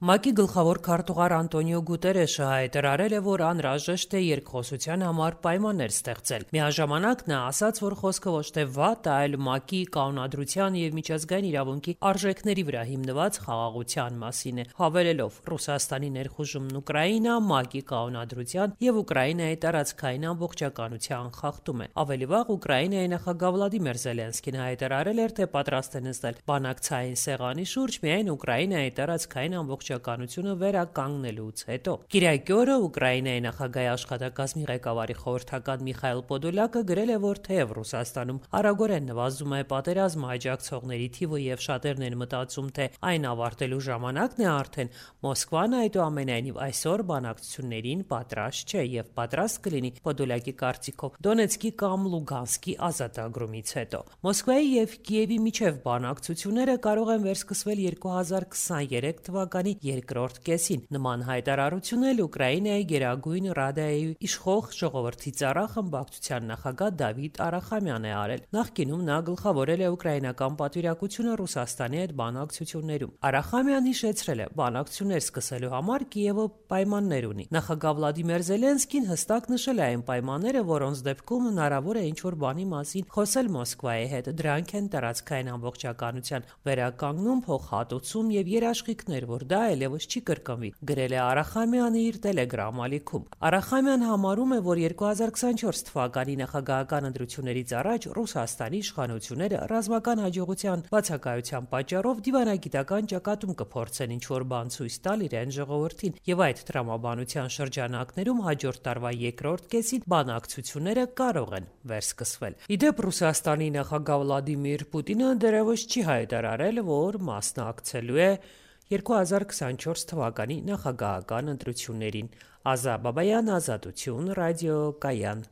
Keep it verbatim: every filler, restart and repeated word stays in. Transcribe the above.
ՄԱԿ-ի գլխավոր քարտուղար Անտոնիո Գուտերեշը հայտարարել է, որ անհրաժեշտ է երկխոսության համար պայմաններ ստեղծել։ Միաժամանակ նա ասաց, որ խոսքը ոչ թե վատ, այլ ՄԱԿ-ի կանոնադրության եւ միջազգային իրավունքի արժեքների վրա հիմնված խաղաղության մասին է, հավելելով. Ռուսաստանի ներխուժումն Ուկրաինա ՄԱԿ-ի կանոնադրության եւ Ուկրաինայի տարածքային ամբողջականության խախտում է։ Ավելի վաղ Ուկրաինայի նախագահ Վլադիմիր Զելենսկին հայտարարել էր, թե պատրաստ է նստել բանակցային սեղանի շուրջ միայն Ուկրաինայի տարածքային ամբողջականությունը վերականգնելուց հետո։ Կիրակի օրը Ուկրաինայի նախագահի աշխատակազմի ղեկավարի խորհրդական Միխայիլ Պոդոլյակը գրել է, որ թեև Ռուսաստանում արագորեն նվազում է պատերազմը աջակցողների թիվը եւ շատերն են մտածում, թե այն ավարտելու ժամանակն է արդեն, Մոսկվան այդուամենայնիվ այսօր բանակցություններին պատրաստ չէ եւ պատրաստ կլինի Պոդոլյակի կարծիքով Դոնեցկի կամ Լուգանսկի ազատագրումից հետո։ Մոսկվայի եւ Կիևի միջև բանակցությունները կարող են վերսկսվել երկու հազար քսաներեք թվականի երկրորդ կեսին։ Նման հայտարարություն էլ Ուկրաինայի Գերագույն Ռադայի իշխող ժողովրդի ծառա խմբակցության նախագահ Դավիթ Արախամյանն է արել։ Նախկինում նա գլխավորել է ուկրաինական պատվիրակությունը Ռուսաստանի հետ բանակցություններում։ Արախամյանն հիշեցրել է, բանակցություններ սկսելու համար Կիևը պայմաններ ունի։ Նախագահ Վլադիմիր Զելենսկին հստակ նշել է այն պայմանները, որոնց դեպքում հնարավոր է ինչ-որ բանի մասին խոսել Մոսկվայի հետ։ Դրանք են տարածքային ամբողջականության վերականգնում, փոխհատուցում եւ երաշխիքներ, որ դա այլևս չի կրկնվի, գրել է Արախամյանը իր Telegram ալիքում։ Արախամյանը համարում է, որ երկու հազար քսանչորս թվականի նախագահական ընտրություններից առաջ Ռուսաստանի իշխանությունները ռազմական հաջողության բացակայության պատճառով դիվանագիտական ճակատում կփորձեն ինչ-որ բան ցույց տալ իրեն ժողովրդին, եւ այդ տրամաբանության շրջանակներում հաջորդ տարվա երկրորդ կեսին բանակցությունները կարող են վերսկսվել։ Իդեպ Ռուսաստանի նախագահ Վլադիմիր Պուտինը դեռևս չի հայտարարել, որ մասնակցելու է երկու հազար քսանչորս թվականի նախագահական ընտրություններին։ Ազա Բաբայան, Ազատություն, ռադիոկայան։